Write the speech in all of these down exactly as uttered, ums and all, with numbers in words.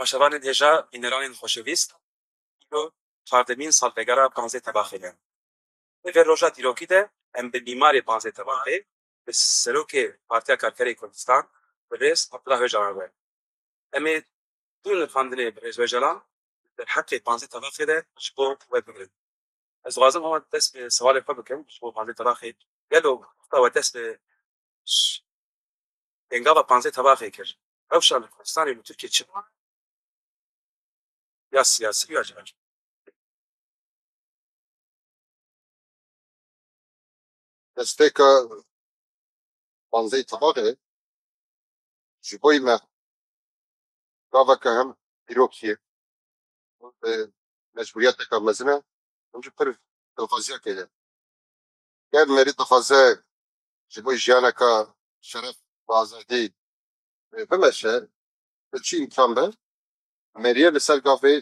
Temaşevanên hêja, bîneranên xoşewîst, îro çardemîn salvegera panzdeh Tebaxê ye. Li vê roja dîrokî de em bi mîmarê panzdeh Tebaxê, bi serokê Partiya Karkerê Kurdistan, birêz Abdullah Ocalan re. Em ê du nirxandinê birêz Ocalan derheqê panzdeh Tebaxê de ji bo we bigirin. Ez dixwazim hewa dest bi sewalê xwe bikim ji bo panzdeh Tebaxê. Gelo wexta we dest bi ş-, pêngava panzdeh Tebaxê kir, rewşa li Kurdistanê û li Tirkiyê çi bû? Ya siyasî ya civakî. Destpêka panzdeh Tebaxê ji bo me gaveke hem dîrokî ye. Bi mecbûriyeteke mezin e. Hûn jî pir dilxwaziyekê ye. Ger merî dixwaze ji bo jiyaneke şeref û azadî, e, bimeşe, bi çi îmkan be, meriyê li ser gavê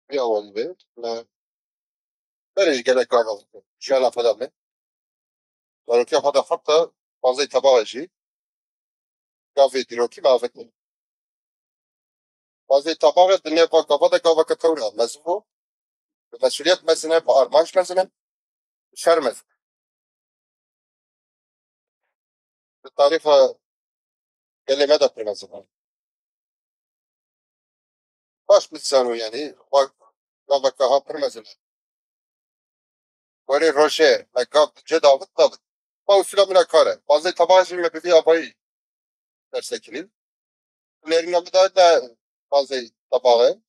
vê awayî be. Me berê ji gelek gava jiyana xwe de me. Zarokiya xwe de heta panzdeh Tebaxê jî gavê dîrokî me avêtiye. Panzdeh Tebaxê di nêva gava de gaveke tewr e, mezin bû. Bi mesuliyet mezin e, bi armanc mezin e, bi şer mezin e. Di tarîxa gelê me de pir mezin e. Baş bizano, yanî, wa gaveke ha pir mezin e. Gorê rojê me gav di cê de avit, davit. Ma usula min a kar e. Panzdeh Tebaxê jî me bi vî avayî dersekirî. Nêrîna min de ne panzdeh Tebaxê.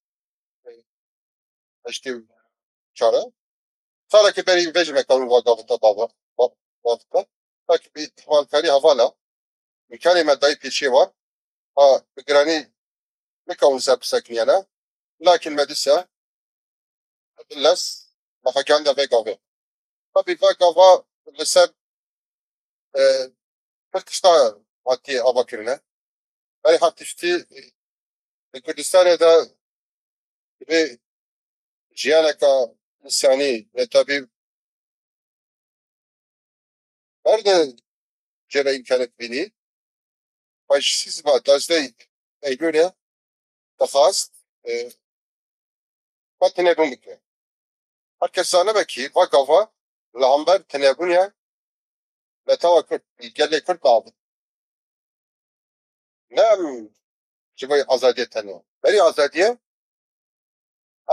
Heştê û çar e. Salekî berî vê jî me kewin va gavita dava, va-, gavita. Belkî bi îhmalkarî hevala, îmkanê me dayî pêşiyê wan, ha, bi giranî nikewin ser bisekiniyene. Lakin me dîsa, bi lez, me xwe gihanda vê gavê. Tabî va gava li ser, e, pir tişta hatiye avakirine. Berê her tiştî, e, li Kurdistanê de divê jiyaneke însanî, netewî berde cêre îmkanet bînî. Faşîzma duwazdeh Eylûlê dixwast, e, xwe tinebûn bike. Her kes zanibe kî va gava li hember tinebûnê netewa Kurd, gelê Kurd diavêt. Ne em ji bo azadiyê tenê. Berî azadiyê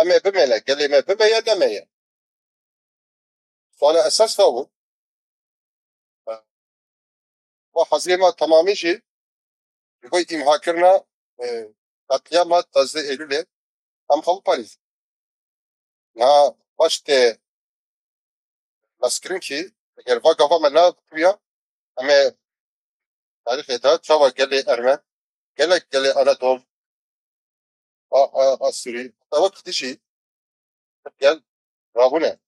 em ê bimêne, gelê me bibe ya neme ye. Suala esas va bû. Va hezirê me temamî jî ji bo îmhakirina, e, qetlîama duwazdeh Eylûlê em xwe biparêzin. Niha baş tê baskirin kî eger va gava me nebûya, em ê tarîxê de çawa gelê Ermen, gelek gelê Anadol, a, a, Asûrî, heta wek dijî gel rabûne.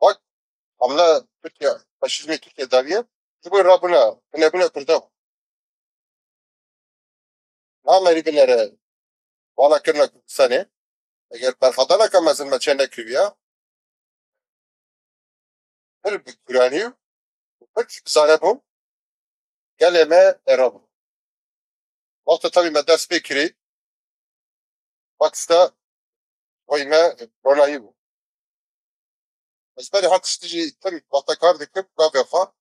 Wek hamle Tirkiye, faşîzmê Tirkiye dawiye, ji bo rabûne, hinebûne Kurda bû. Namerî binere vala kirina Kurdistanê, eger berxwedaneke mezin me çê nekiriya, pir bi guranî û pir zane bû, gelê me era bû. Wexta tevî me dest pê kirî, Pakistan boy me ronayî bû. Ez berê her tiştî jî tim wexta kar dikim, gavê xwe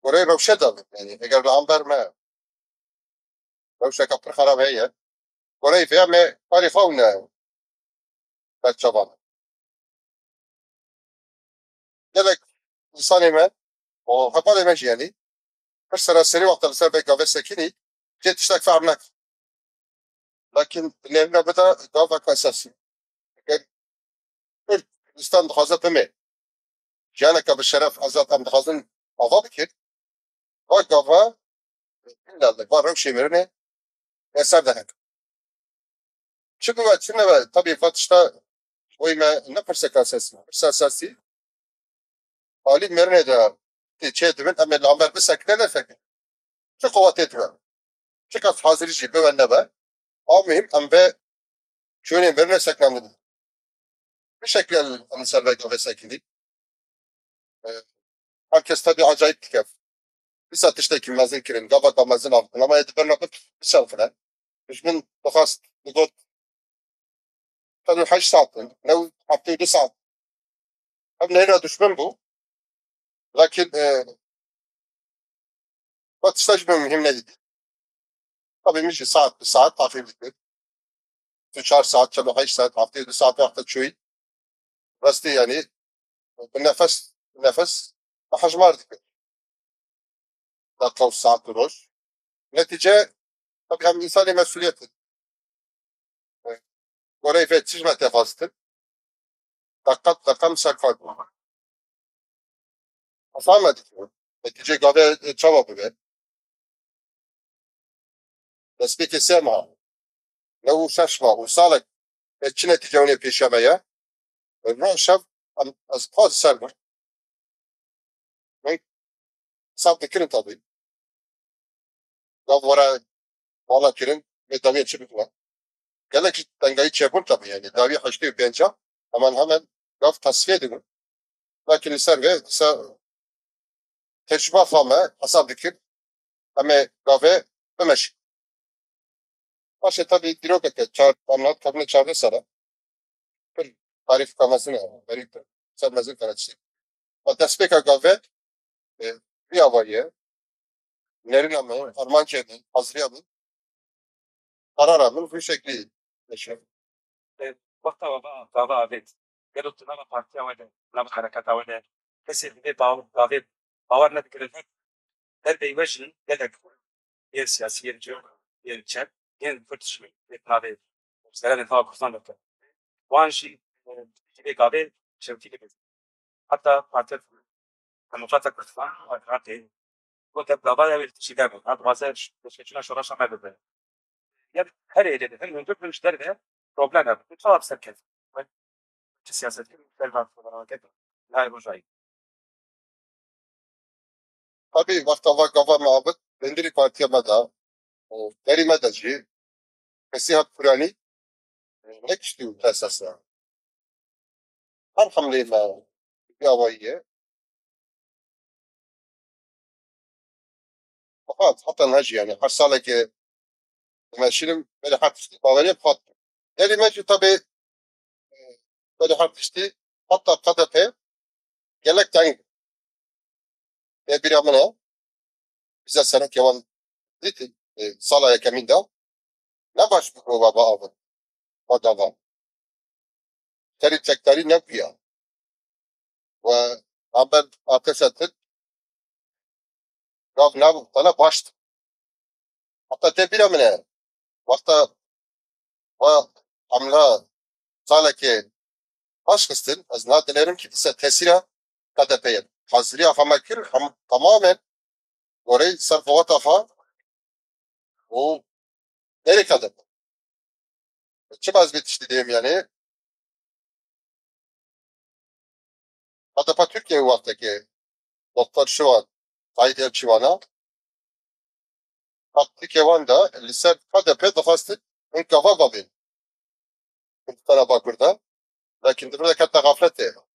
goreyê rewşe de bim. Yanî eger li hember me rewşeke pir xerab heye, goreyê vê me karê xwe ne berçavan. Gelek însanê me û hevalê me jî, yanî, pir seraserî wexta li ser vê gavê sekinî, cê tiştek fehm nekin. Lakin di nêrîna bide gavek esasî. Eger Kurd Kurdistan dixwaze bimê, jiyaneke bi şeref, azad em dixwazin ava bikin, va gava illa li va rewşê mirinê ser de heke. Çi bibe, çi nebe, tabî va tişta boy me ne pirseka esasî, pirsa esasî, alî mirinê de tê çê dibin, em ê li hember bisekine nesekine. Çi qewetê dibe. Çiqas hazirî jî bibe nebe. A muhîm em vê çûnê mirinê sekna bidin. Bi şeklê em ser vê gavê sekinî. E, her kes tabi acayip dike. Dîsa tiştekî mezin kirin, gavaka mezin avêtin, ama ê di birna bi-, biçerxine. Dijmin dixwest, digot, "Çend û heşt saet in, new heftê û du saet." Ev neyna dijmin bû. Lakin, e, we tişta ji min muhîm nedît. Tabii min jî saet bi saet taxîb dikir. Tu çar saet, çend û heşt saet, heftê û du saet wexta çûyî. Rastî yani bi nefes, bi nefes hejmar dikir. Dakika û saet û roj. Netice, tabii em insanê mesuliyet in. Goreyê vê çi ji me tê xwestin? Deqet deqe min ser kar bû. Hesab me dikirin. Netîcê gavê çawa bibe? Destpêkê sê meha, new û şeş mah û salek, e, çi netîce hûnê pêşiya me ye? Roj şev em, ez qas ser me. Hesab dikirin tabii. Gav were bala kirin, vê dawiyê çi bikine? Gelek ji tengayî çêbûn tabii yani. Dawiyê heştê û pênc hemen hemen gav tasfiye dibin. Lakin li ser vê, dîsa tecrüba xwe me hesab dikir. Em ê gavê bimeşin. Baş e, tabii dîrokeke çar, em hat kevine çardeh sala. Pir tarîfka mezin e, berî ser mezin kare çi. Ve destpêka gavê, e, vî avayî ye. Nerîna min, armancê min, haziriya min, karara min vî şeklî diçe. E, wexta we va gava avêt, gelo tu nava partiya we de, nava hereketa we de, kesê divê baw-, gavê bawer nedikirin, her derbeyî we jî gelek yên siyasî, yên cem, yên çep, yên Kurd jî, yên navê serê nava Kurdan dikin. Wan jî, e, divê gavê şewitî bikin. Heta Partiya Demokrata Kurdistan, Iraqê, got, ev gava ew ê li tişî de bin. Ev dixwaze pêşveçûna şoreşa me bibe. Ya her êdî, her hundir bin ji derve problem e. Çawa bi ser ket? Çi siyaset kirin? Derve, nayê rojayî. Tabii, wexta va gava me avêt, bindirî partiya me de, û derî me de jî, kesî hat kuranî, nekiştî û esas e. Her hemleyê me vî awayî ye. Fakat heta niha jî yani her salekê dimeşînim, belê her tiştî baweriyê bi xwe dikim. Derî me jî tabii, e, belê her tiştî, heta K D P gelek teng bû. Tê bîra min e, bize serokê wan dît, e, sala yekemîn de ne baş bû va biavin, va gava. Serî çekdarî nebûya. We Ahmet Ateşe Türk gav nav tane başt. Hatta tê bîra min e. Wexta va hamla salekê paş xistin, ez na dilerim ki dîsa tesîra K D P'ye. Haziriya xwe me kir, hem tamamen gorey ser xewata xwe û derê K D P. Çima ez vê tiştî dêrim yani? K D P Türkiye wextekê Doktor Şivan, Tayyip Erçivan'a, taktikê wan de li ser K D P dixwastin hin gava bavên Kurdistana Bakur de. Lakin di vir de kete xafletê.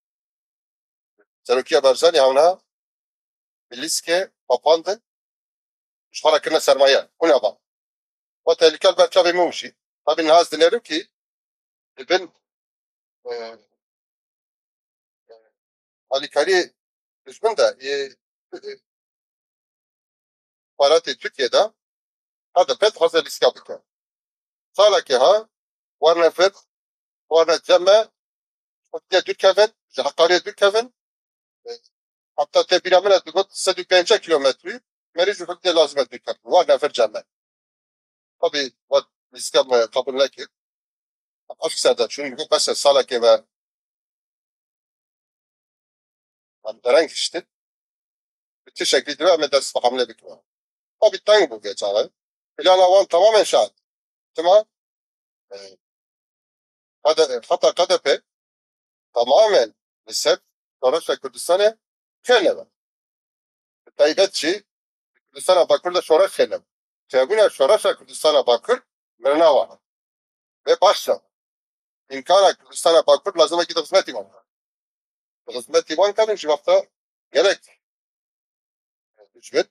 Serokiya Barzanî hewna bi lîskê xapandin, ji xwe re kirine sermaye. Hûn ava. Xwe tehlîke li ber çavê min û jî. Tabî niha ez dinerim kî di bin, e, e, alîkariyê dijmin de, e, e, Baratê Tirkiyê de K D P dixwaze lîstika bike. Salekê ha, warne vir, warne cem me, xwediyê dûr kevin, ji heqariyê dûr kevin. E, heta tê bîra min e, digot sed û pêncî kilometrî, merî ji xwediyê lazim e dûr kevin. Warne vir cem me. Tabii, wat lîstika me qebûl nekir. Ev ser de çûn, digot bes e, salekê me em dereng hiştin. Bi çi şeklî dibe em ê dest bi hemlê bikin. Tabî teng bû vê çaxê. Plana wan tamamen şaş. Çima? E, K D, heta K D P tamamen li ser şoreşa Kurdistanê fêr nebe. Bi taybet jî Kurdistana Bakur de şoreş fêr nebe. Çêbûna şoreşa Kurdistana Bakur mirina wan e. Vê baş e. Îmkana Kurdistana Bakur lazim e ki di xizmetî wan. Di xizmetî wan kevin ji wexta gelek dijmin.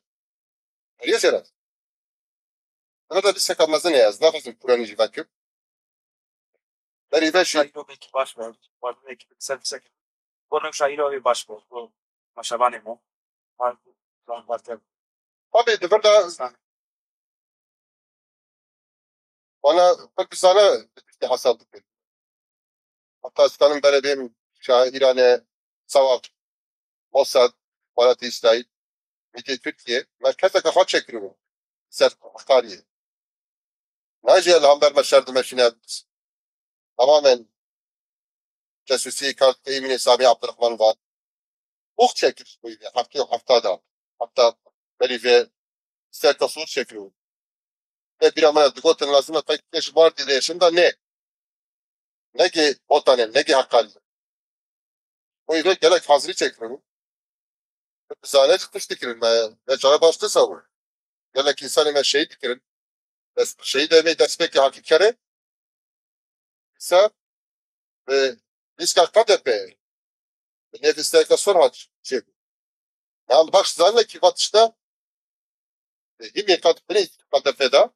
Heriyê zêde. Li vir de lîsteka mezin heye, ez naxwazim kuranî jî vekim. Berî vê jî Şaîrovekî baş be. Wardin ekî ser bisekir. Bo newşa îro wê baş bo. Bo maşavanê mo. Har zan varte. Tabii di vir de wana pir bizane hesab dikin. Hatta ez dikanim berê bêm şaîranê Sewaq, Mossad, Welatê Îsraîl, Mîtê Tirkiye, merkezeke xwe çêkiribû ser Heqaniyê. Nayê jî li hember me şer dimeşîne, tamamen casusî kar dike Îmînê Samî Abdurrahman van. Ox çekir bu yine, heftê û hefta da. Hatta berî vê ser tasûr çekir. Te bîra min e, digotin lazim e pek ji bar dî de şin da ne. Negê Botanê, negê Heqaniyê. Bu yine gelek hazirî çekir. Bizane ji tişt dikirin, me, me çare baş disa bû. Gelek insanê me şehîd dikirin. Dest, şehîd em ê destpêkê hakî kerê. Îsa bi lîska K D P, bi nêvîsteyeke sor hat çêbû. Yan baş zanekî va tişta, e, hîmê K D P, K D P de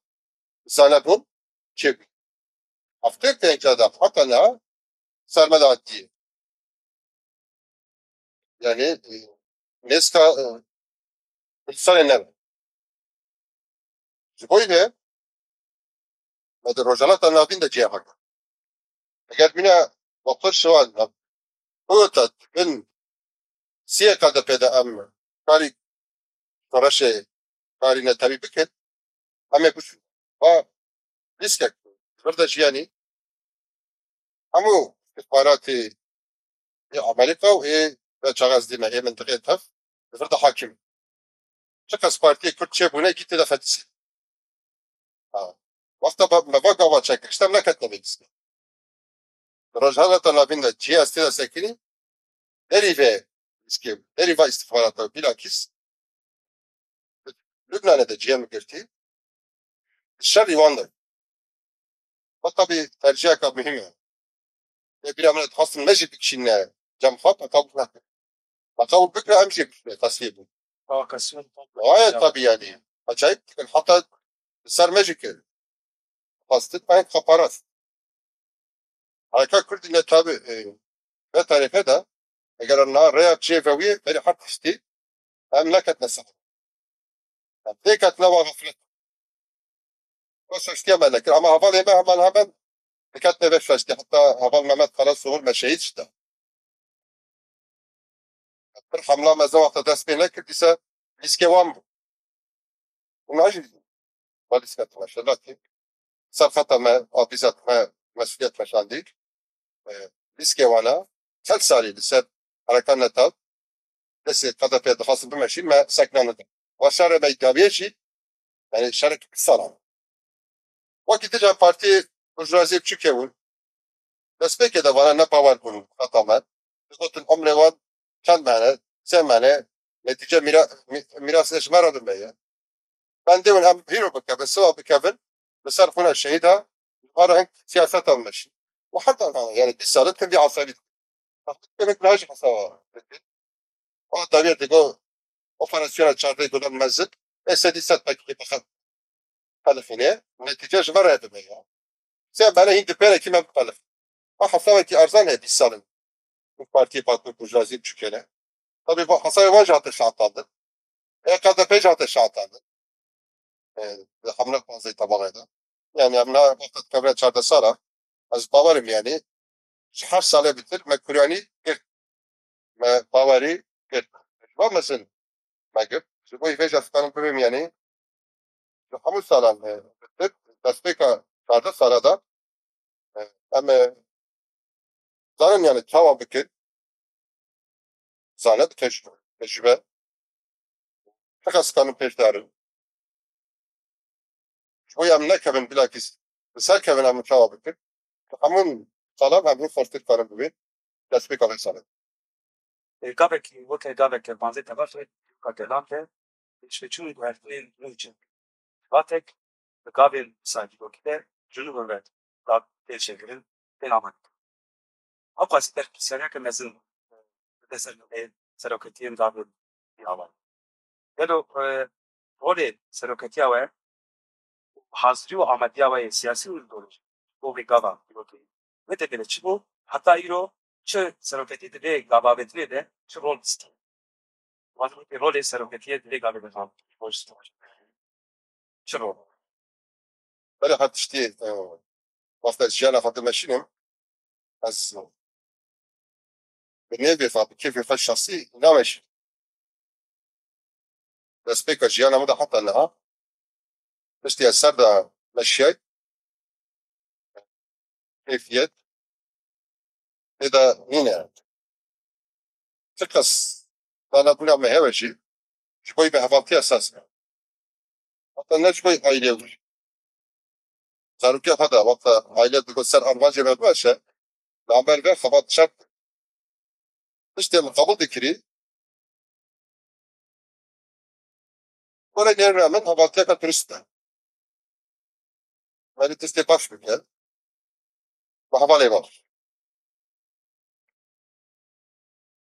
zanebûn çêbû. Heftê pênca de heta niha ser me de hatiye. Yani, e, nêzîka, e, insanê ne. Ji bo yê me di Rojhilata Navîn de cihê xwe kir. Eger bîne Doktor Şivan, ota bin siyê K D P de em karî şoreşê, karî netewî bikin, em ê biçûn. Va lîstek vir de jiyanî hemû îstixbaratê ê Amerîka û ê ve çaxez dîme ê mintiqê tev li vir de hakim. Çiqas partiyê Kurd çêbûne kî tê de fetisî. Ha. Wexta ba- me va gava çekir, işte em neketine vê lîskê. Rojhilata Navîn de cihê ez tê de sekinî, derî vê lîskê, derî va îstixbarata bilakîs Lubnanê de cihê min girtî. Şerî wan de. Ve tabi terciheka muhîm e. Ê bîra min dixwastin me jî bikişîne cem xwe, me qebûl nekir. Me qebûl bikire em jî bikişîne, tesfiyê bûn. Provokasyon. Gayet tabi yani. Acayip dikin. Hatta ser me jî kir. Xwestin me hep xeparast. Hareka Kurdî ne tabi, e, ve tarîxe de eger na rêya cihê vewiyê berî her tiştî em neketine ser. Em têketine wa xeflet. Wê şaştiya me nekir. Ama hevalê me heman hemen diketine vê şaştiya. Heta heval Mehmet Karasoğur me şehîd şida. Pir hemla me zewata dest pê nekir, dîse lîskê wan bû. Hûn najî balîsketine şelatî. Ser xeta me, avîzet me, mesuliyet me şandî. E, lîskê wana çend salî li ser hereka netew destê K D P dixwastin bimeşîn, me sekna neda. Wa şerê me dawiyê jî, yani şerek salan. Wekî dî jî partî burjwaziyê biçûkê bûn. Destpêkê de vana ne bawer bûn xeta me. Digotin umrê wan çend mehne, sê mehne, netîce mîra, mî- mîrasê ji me re bime ye. Bendê hûn em hîro bikevin, siwa bikevin, li ser xwîna şehîda, ji xwe re hing siyaseta bimeşîn. Û heta yani bîst sal dikin vî hesabî dikin. Tehdît kirin, ne ji hesaba dikin. O dawiyê digo operasyona çardeh Gulan mezin, ê sedî sed pekî bixin. Pelixîne, netîce ji me re bime ya. Sê bele hîn di pêrekî me biqelixin. Ew hesabekî erzan heye bîst sal in. Bi partiyê Bakur Burjwazî çûkene. Tabii bu hesabê wan jî hate şehetandin. E, K D P jî hate şehetandin. E, di hemle panzdeh tebaxê de. Yani em na wexta dikevine çardeh sala. Ez bawerim yani. Ji her salê bitir me kuryanî girt. Me bawerî girt. Ji bo mezin me girt. Ji bo vê jî ez dikarim bibêm yani. Ji hemû salan, e, bitir, destpêka çardeh sala de, e, em, e, zanin yani çawa bikin. Zane bi tecrube, tecrube. Çiqas dikarin pêş darin. Ji bo em nekevin bilakîs, bi ser kevin em çawa bikin. Hemû salan em hîn xweştir karin bibin. Destpêka vê salê. Gavekî weke gaveke panzdeh tebaşê ka gelan de pêşveçûn guhertinên nû çin. Vatek bi gavên saydîrokî de jinû ve ve da tê çêkirin, tên amek. Ew qasî berpirsiyariyeke mezin bide ser ê seroketiyên gavên ava. Gelo, e, rolê seroketiya we hazirî û amadiya we yê siyasî û îdeolojîk bo vê gava dîrokê. Wê têkilî çi bû? Heta îro çi seroketî di vê gava vetinê de çi rol distî? Wan wekî rolê seroketiyê di vê gavê de tam çi rol? Belê her tiştî, e, wexta jiyana xwe dimeşînim, ez bi nêvê xwe, bi kêfê xwe şexsî nameşînim. Destpêka jiyana min de heta niha, tiştê ez ser de meşiyay, keyfiyet tê de nîne. Çiqas danebûna me hebe jî, ji bo me hevaltiya esas e. Heta ne ji bo aîlê wî. Zarokê xwe de wexta aîle digot ser armancê me bimeşe, li hember vê xebat şert. Tiştê min qebûl dikirî. Were nêrîna min hevaltiyeke durist e. Belê tiştê baş bike. Bi hevalê baş.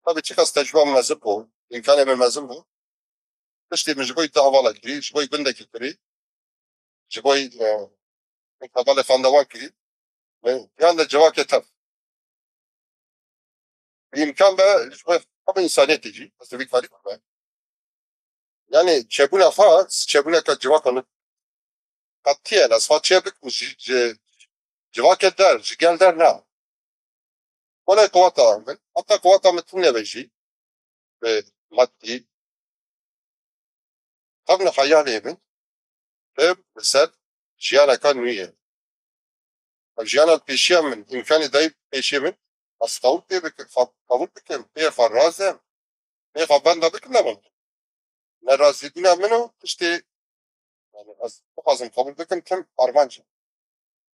Tabii çiqas tecrüba min mezin bû, îmkanê min mezin bû. Tiştê min ji bo du hevala kirî, ji bo gundekî kirî, ji bo, e, hevalê xandewan kirî. Min yan de civakê tev. Bi îmkan be, ji bo hemû însaniyetê jî, ez vî karî bime. Yani çêbûna xwe, çêbûneke civaka min qetiyen, ez xwe çê bikim ji, ji civakê der, ji gel der na. Wele qeweta min, heta qeweta min tune be jî, bi madî, xebna xeyalê min, bim li ser jiyaneka nû ye. Ev jiyana pêşiya min, îmkanê dayî pêşiya min, ez qewil pê bikim, fa-, qewil bikim, pê xwe razim, pê xwe benda bikim, ne min. Nerazîbûna min û tiştê, yani ez bixwazim qewil bikim, tim armanc e.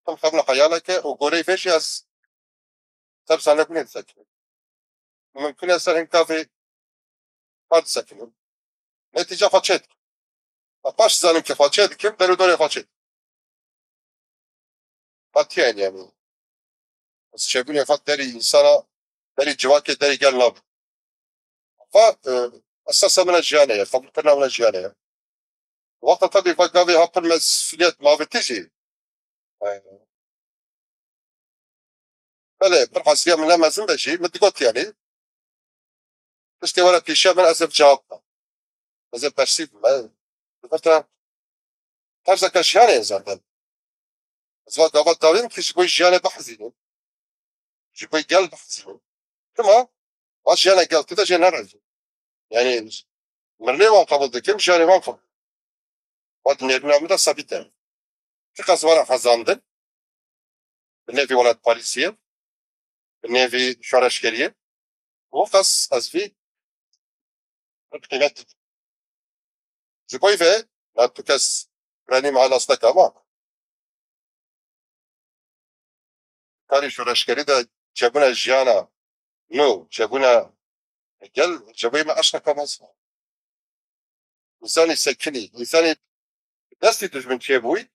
Tim xebna xeyaleke û goreyê vê jî ez ser zanebûnê disekinim. Mimkun e ser hin gavê xwe disekinim. Netîca xwe çê dikim. Ve paş dizanim ke xwe çê dikim, ber û dorê xwe çê dikim. Qetiyen yani. Ez çêbûnê xwe derî însana, derî civakê, derî gel nabim. Xwe, e, esasa min a jiyanê ye, qebûlkirina min a jiyanê ye. Wexta tevî xwe gavê ha pir mesûliyet mavitî jî. E, belê, pir hesiya min ne mezin be jî, min digot yani. Tiştê were pêşiya min ez ê bi cewab bim. Ez ê persîv bim. Ez, li vir te terzeke jiyanê ye zaten. Ez va gava dawî min kir ji bo jiyanê bihezînim. Ji bo gel bihezînim. Dima va jiyana gel tu de jê nerazî. Yani mirinê wan qebûl dikim, jiyanê wan qebûl. Va di nêrîna min de sebît e. Çiqas were hezandin, bi nêvî welatparêziyê, bi nêvî şoreşgeriyê, û qas ez vî qîmet didim. Ji bo vê, na tu kes renî me nas neke, ama karê şoreşgerî de çêbûna jiyana nû, çêbûna gel, ji bo me eşqeke mezin. Însanî sekinî, însanî destî dijmin çêbûyî,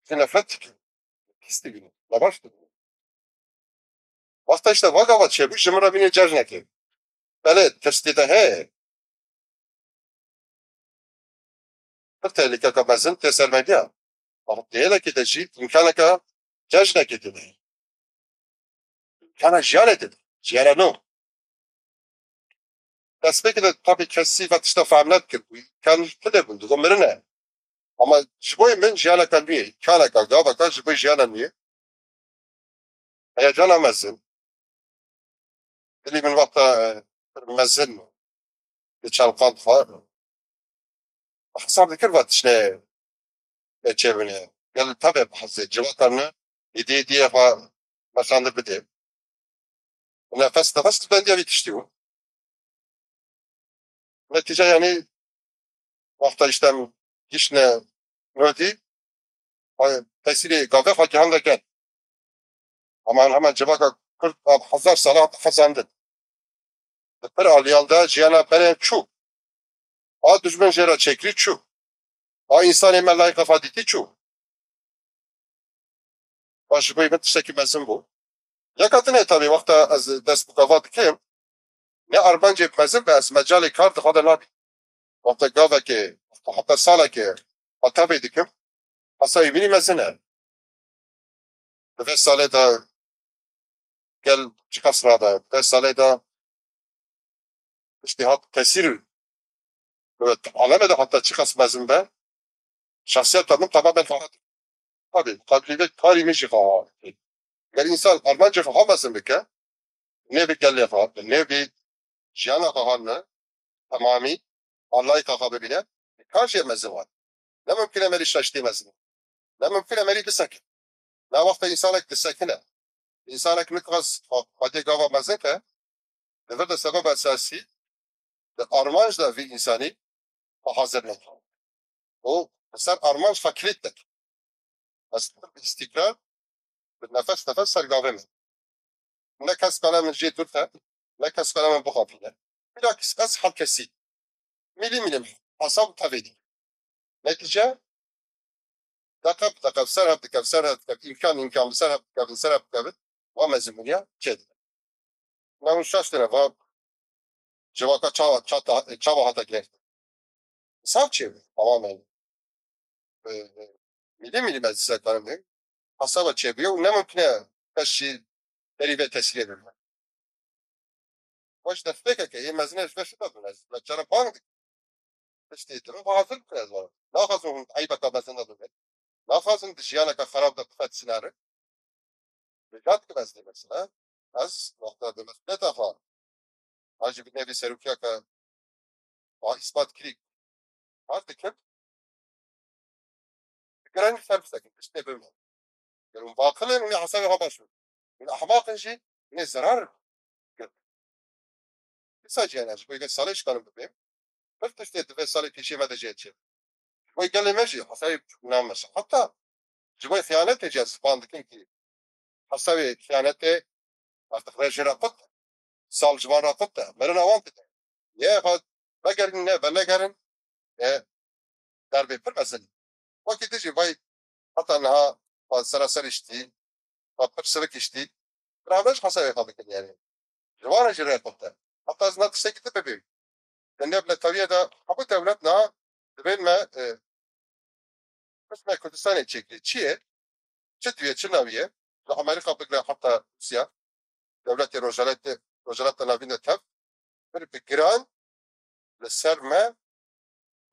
ji nefret dikin, pîs dibînin, nebaş dibînin. Wexta işte va gava çêbû, ji min re bînê cejnekê. Belê, tirs tê de heye. Pir tehlikeke mezin tê ser me giya. Ama têlekê de jî îmkaneke cejnekê tê de. Îmkana jiyanê tê de. Jiyana nû. Destpêkê de tabii kesî ve tişta fehm nedikir. Îmkan tune bûn, digo mirine. Ama ji bo min jiyaneke nû ye. Îmkaneke, gaveke ji bo jiyana nû ye. Heyecana mezin. Dilî min wexta, e, mezin diçelqand xwe. Hesab dikir va tiştê çêbûne. Gel tevê bihezê, civaka ne, îdî îdî xwe mesande bide. Nefes nefes tu bendiya vî tiştî bû. Netîce yani wexta işte gişne nodî, tesîrê gavê xwe gihandeke. Ama hemen civaka Kurd av hezar sala hezandin. Di pir aliyan de jiyana berê çû. A dijmin jê re çêkirî çû. A însanê me layîqa xwe dîtî çû. Baş ji bo min tiştekî mezin bû. Yeka din e tabii, wexta ez dest bi gava dikim, ne armancê mezin be, ez mecalê kar di xwe de nabînim. Wexta gavekê, heta salekê, heta vê dikim, hesabê min î mezin e. Di vê salê de gel çiqas rade, di vê salê de tiştê hat kesîr, evet, aleme de heta çiqas mezin be, şahsiyeta min tamamen xebat. Tabii, muqabilê vê karî min jî xebat. Ger însan armancê xwe xwe mezin bike, nêvî gelê xwe, nêvî jiyana xwe xwe ne, temamî, Allahî xwe xwe bibîne, kar jê mezin wan. Ne mumkin e merî şaştî mezin. Ne mumkin e merî bisekin. Na wexta însanek disekine, însanek niqas xwedê gava mezin ke, di vir de sebeba esasî, di armanc de vî însanî xwe hazir neke. Û li ser armanc xwe kilît dike. Ez bi îstîkrar, bi nefes nefes ser gavê min. Ne kes bela min jê dûr te, ne kes bela min bixapîne. Bilakis ez herkesî mîlî mîlî hesab tevê dî. Netîce, deqe bi deqe ser hev dike, ser hev dike, îmkan îmkan bi ser hev dike, ser hev dike, wa mezin bûniya çêdibe. Ne hûn şaş têne, va civaka çawa, çata, çawa hata girêftin. Sav çê bû, tamamen. E, e, mîlî mîlî meclise karim bû. Hesaba çê bûye û ne mumkin e kes jî derî vê tesîrê bibin. Weş destpêkeke, ê mezin e ji vê şida bûn ez. Me cara bang dikim. Tiştê din, hazir bikin ez wan. Naxwazin hûn eybeka mezin de bibin. Naxwazin di jiyaneke xerab de bixet sineri. Rica dikim ez dê mesela. Ez wexta di mesûliyeta xwe, an jî bi nêvê serokiyeke xwe îspat kirî, kar dikim. Bi giranî ser bisekin, tiştê bibin. Ger hûn baqil in, hûn ê hesabê xwe baş bikin. Hûn ehmaq in jî, hûn ê zerar in. Dîsa jî, yani, ji bo yê salê şikanim bibêm. Pir tiştê di vê salê pêşiyê me de jê çi. Ji bo gelê me jî hesabê nameşe. Heta ji bo xiyanetê jî ez span dikim ki hesabê xiyanetê artık rejê re qut e. Sal ji van re qut e. Merina wan dide. Yê xwe vegerin ne venegerin. E, derbê pir mezin. Wekî dijî vay heta niha va seraser îştî, va pir sivik îştî. Bira me ji hesabê xwe bikin yani. Ji van re jî rê xwe te. Heta ez na tiştekî din bibêm. Di nêv netewiyê de hemû dewlet niha divên me, e, qismê Kurdistanê çêkirî. Çi ye? Çi diye, çi naviye? Li Amerîka bigre heta Rûsya, dewletê Rojhelatê, Rojhelata Navîn de tev, bir bi giran li ser me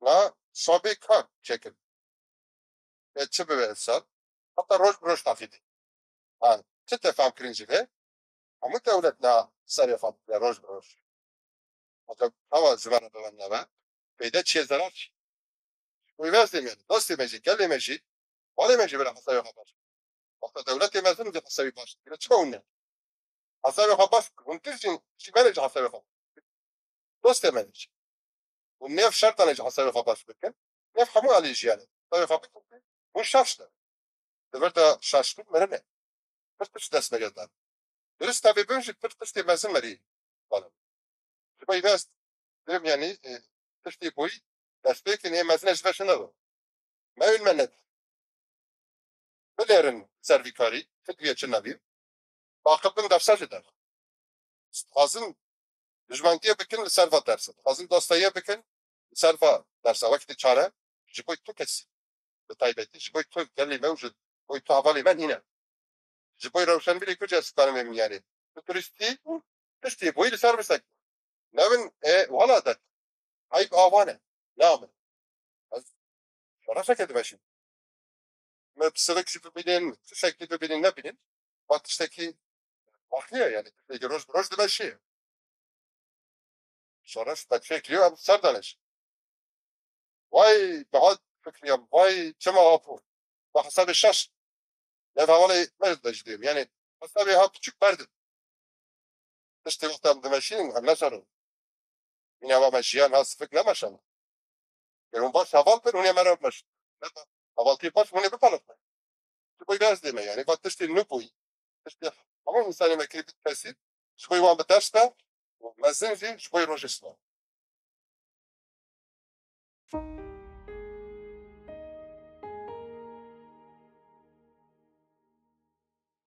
na şabê kar çêkir. E, çi bibe insan? Heta roj bi roj taqîdê. Ha, çi te fam kirin ji vê? Hemû dewlet na serê xwe bide roj bi roj. Heta hewa ji me re bibe nebe. Peyde çiye zerar çi? Wî vez demê, dostê me jî, gelê me jî, balê me jî bira hesabê xwe baş. Wexta dewletê mezin jî hesabê baş dikire. Çima hûn ne? Hesabê xwe baş bikin. Hûn tiştên jî me re jî hesabê xwe. Dostê me jî. Hûn nêv şertanê jî hesabê xwe baş bikin. Nêv hemû alî jiyanê. Hesabê xwe bikin. Hûn şaş ne. Di vir de şaşbûn mirin e. Pir tişt dest me girdan. Durist tevê bin jî pir tiştê mezin merî. Bana. Ji bo vê ez dirim, yanî, e, tiştê boyî destpêkên ê mezin e ji ve şina. Me û me net. Bilêrin ser vî karî, fikriye çi nebî. Aqil bin dersa ji der. Dixwazin dijmentiye bikin li ser va dersa. Dixwazin dostayiye bikin li ser va dersa. Wekî çare ji bo tu kesî. Bi taybetî ji bo tu gelî me û ji bo tu hevalê me nîne. Ji bo rewşenbîrê ku cih ez dikarim vê miyanê. Tu turistî, tiştê boyî li ser bisekî. Nevin, e, wala de. Eyb avan e. Ne min. Ez şoreşeke dimeşim. Me bi sivik jî bibînin, tiştekî bibînin, nebînin. Va tiştekî farklı ye yani. Tiştekî roj bi roj dimeşiye. Şoreş me çêkiriye, em ser danişin. Vay, bi hat fikriya, vay, çima apo. Bi hesabê şaş. Ne hevalê me de jî diyeyim. Yani, hesabê ha küçük berdi. Tiştê wexta em dimeşînin, em neşanin. Yine ama me jiyan ha sifik nemeşan. Ger hûn baş heval bin, hûn ê me re bimeşin. Ne da, hevaltî baş, hûn ê bipelixin. Ji bo vê ez dême, yani, va tiştê nû bûyî. Tiştê hemû însanê me kirî bit kesî. Ji bo wan bi ders be, û mezin jî ji bo rojê silav.